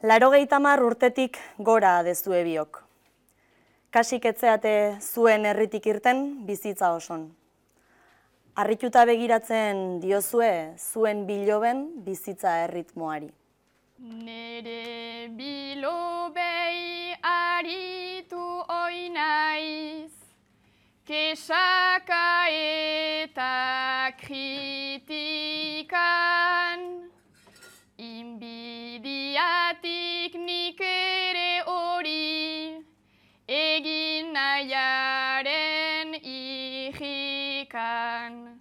80 urtetik gora dezue biok. Kasik etzeate zuen herritik irten bizitza oson. Harrituta begiratzen diozue zuen biloben bizitza erritmoari. Nere bilobei aritu oinaiz, kesaka eta kritikan, inbidiatik nik ere hori, egin nahiaren ihikan.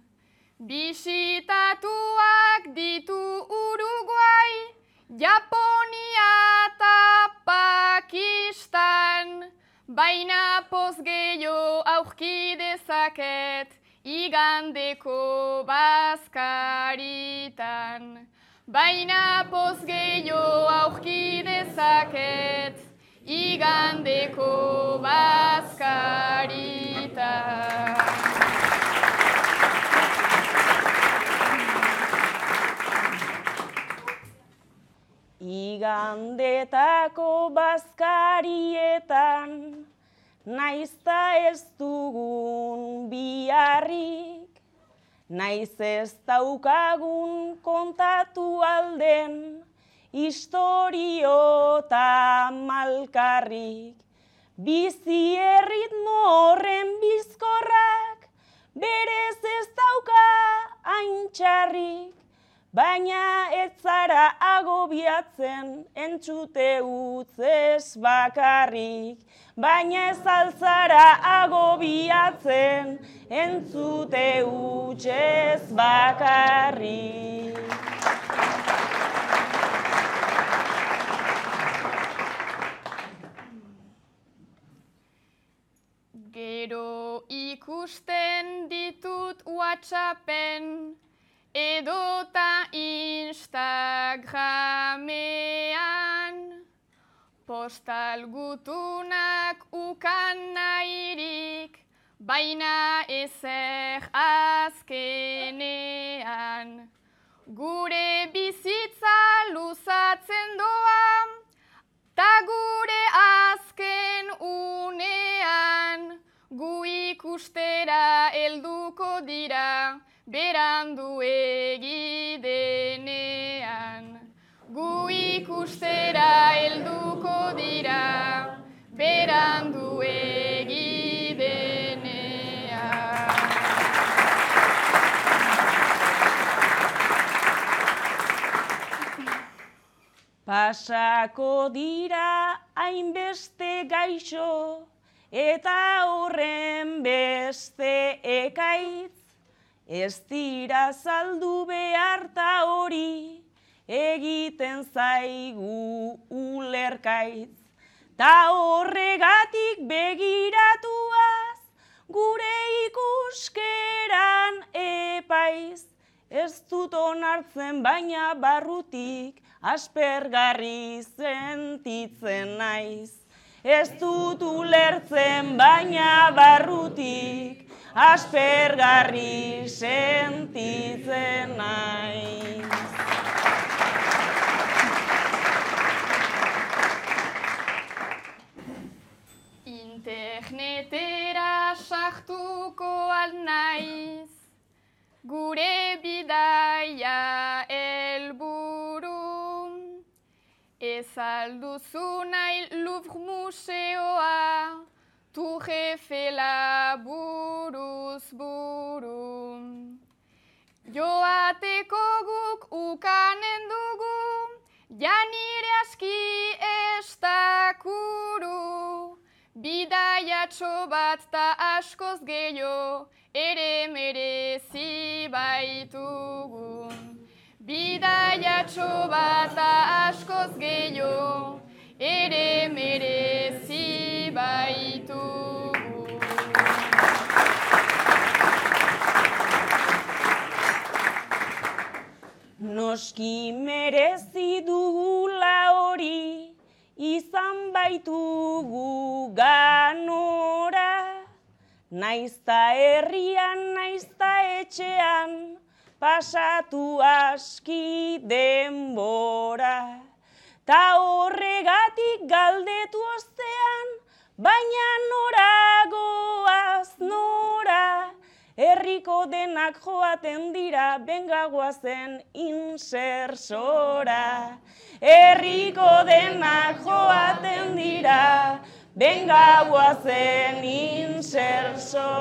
Bisitatuak ditu Uruguai, Japonia eta Pakistan, baina poz gehiago aurki dezaket igandeko bazkaritan. Baina poz gehiago aurki dezaket igandeko bazkaritan. Igandetako bazkarietan, naizta ez dugun biharrik, naiz ez daukagun kontatu alden, istorio eta malkarrik. Bizi erritmo horren bizkorrak, berez ez dauka haintxarrik, baina ez zara agobiatzen entzute utzez bakarrik. Baina ez altzara agobiatzen entzute utzez bakarrik. Gero ikusten ditut WhatsAppen, edota Instagramean, postal gutunak ukan nahirik, baina ezer azkenean. Gure bizitza luzatzen doa, ta gure azken unean, gu ikustera helduko dira, berandu egidenean. Gu ikustera helduko dira, berandu egidenean. Pasako dira hainbeste gaixo, eta horren beste ekaitz, ez dira saldu behar ta hori, egiten zaigu ulerkaitz. Ta horregatik begiratuaz, gure ikuskeran epaiz. Ez dut onartzen baina barrutik, aspergarri sentitzen naiz. Ez dut ulertzen baina barrutik, aspergarri sentitzen naiz. Internetera sartuko alnaiz, gure bidaia helburu. Ez alduzu nahi Louvre museoa, Tour Eiffela buruz buru. Joateko guk ukanen dugu, janire aski ez dakuru. Bidaiatxo bat ta askoz gehiago, ere merezi baitugu. Bidaiatxo bat ta askoz gehiago, ere merezi baitugu. Noski merezi dugula hori, izan baitugu ganora. Naizta herrian, naizta etxean, pasatu aski denbora. ta horregatik galdetu ostean, baina nora goaz nora, herriko denak joaten dira, benga guazen insersora. Herriko denak joaten dira, benga guazen insersora.